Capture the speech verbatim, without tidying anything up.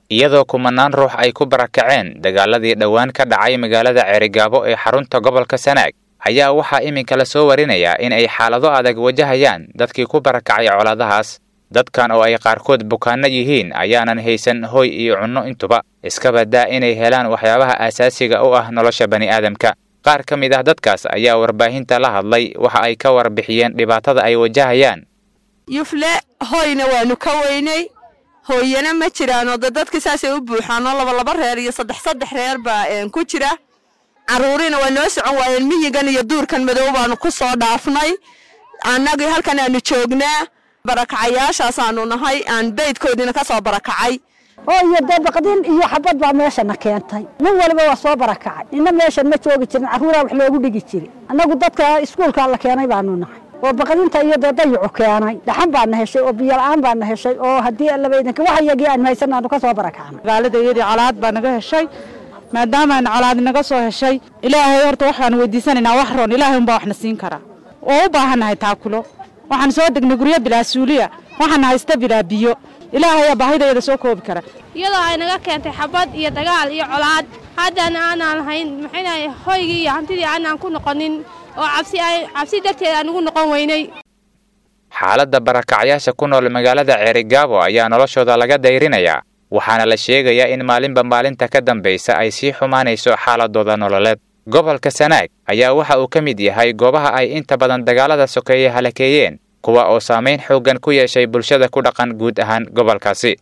Iyadoo kumanaan ruux ay ku barakaceen dagaaladii dhowaan ka dhacay magaalada Ceerigaabo ee xarunta gobolka Sanaag, ayaa waxaa iminka la soo warinayaa in ay xaalado adag wajahayaan dadkii ku barakacay colaadahaas. Dadkan oo ay qaarkood bukaanno yihiin ayaanan haysan hoy iyo cunno intuba, iskaba daa inay helaan waxyaabaha aasaasiga u ah nolosha bani'aadamka. Qaar ka mid ah dadkaas ayaa warbaahinta la hadlay, waxa ay ka warbixiyeen dhibaatada ay wajahayaan. Yufle hoyna waanu ka weynay, hooyana ma jiraanoo de dadka saasay u buuxaanoo laba laba reer iyo saddex saddex reer baa ku jira. Carruurina waa noo socon waayeen, miyigan iyo duurkan madow baanu ku soo dhaafnay. Annagii halkan aanu joognaa barakacayaashaasaanu nahay, aan beydkoodiina ka soo barakacay. Oo iyo dee baqdin iyo xabad baa meeshana keentay. Nin waliba waa soo barakacay, nina meeshan ma joogi jirin, carruuraa wax loogu dhigi jiri. Annagu dadka iskuulkaa la keenay baanu nahay oo baqdinta iyo dee dayacu keenay. Dhaxan baana heshay oo biyo la'aan baana heshay, oo haddii allaba idinka wax iyagii aanu haysan aanu ka soo barakacnay. Magaalada iyadii colaad baa naga heshay. Maadaamaan colaad naga soo heshay, Ilaahay horta waxaan weydiisanaynaa wax roon, Ilaahay unbaa waxna siin karaa. Oo u baahannahay taakulo. Waxaan soo degnay guryo bilaa suuliya, waxaan haysta bilaa biyo. Ilaahayaa baahidayada soo koobi kara. Iyadoo ay naga keentay xabad iyo dagaal iyo colaad, haddana aanaan lahayn maxaynahay hoygii iyo hantidii aanaan ku noqonin, oo cabsi ay cabsi darteed aan ugu noqon weynay. Xaaladda barakacyaasha ku nool magaalada Ceerigaabo ayaa noloshooda laga dayrinayaa, waxaana la sheegayaa in maalinba maalinta ka dambaysa ay sii xumaanayso xaaladooda nololeed. Gobolka Sanaag ayaa waxa uu ka mid yahay goobaha ay inta badan dagaalada sokeeye halakeeyeen, kuwa oo saamayn xooggan ku yeeshay bulshada ku dhaqan guud ahaan gobolkaasi.